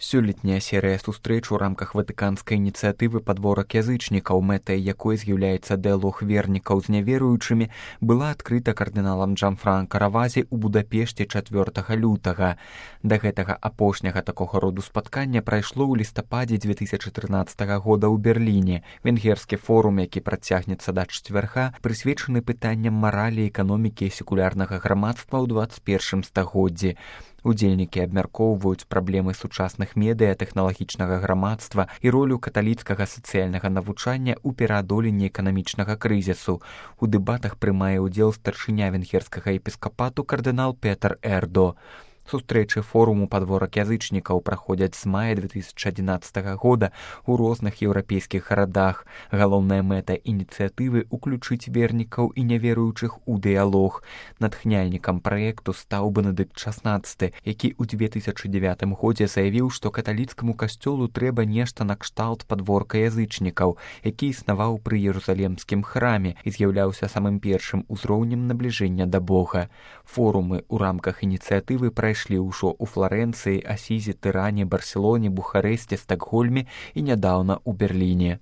Сёлетняя серыя сустрэч у рамках ватыканскай ініцыятывы «Падворак язычнікаў», мэтай якой з'яўляецца дыялог вернікаў з няверуючымі, была адкрыта кардыналам Джанфранка Равазі ў Будапешце 4 лютага. Да гэтага апошняга такога роду спаткання прайшло ў лістападзе 2013 года ў Берліне. Венгерскі форум, які працягнецца да чацвярга, прысвечаны пытанням маралі, эканомікі і секулярнага грамадства ў 21 стагоддзі. Удзельнікі абмяркоўваюць праблемы сучасных медыа, тэхналагічнага грамадства і ролю каталіцкага сацыяльнага навучання ў пераадоленні эканамічнага крызісу. У дэбатах прымае ўдзел старшыня венгерскага епіскапату кардынал Петер Эрдо. Сустрэчы форуму «Падворак язычнікаў» праходзяць з мая 2011 года ў розных еўрапейскіх гарадах. Галоўная мэта ініцыятывы — уключыць вернікаў і няверуючых у дыялог. Натхняльнікам праекту стаў Бенедыкт XVI, які ў 2009 годзе заявіў, што каталіцкаму касцёлу трэба нешта накшталт падворка язычнікаў, які існаваў пры Єрусалемскім храме і з'яўляўся самым першым узроўнем набліжэння да Бога. Форумы ў рамках ініцыятывы прайшлі ўжо ў Фларэнцыі, Асізе, Тыране, Барселоне, Бухарэсце, Стакгольме і нядаўна ў Берліне.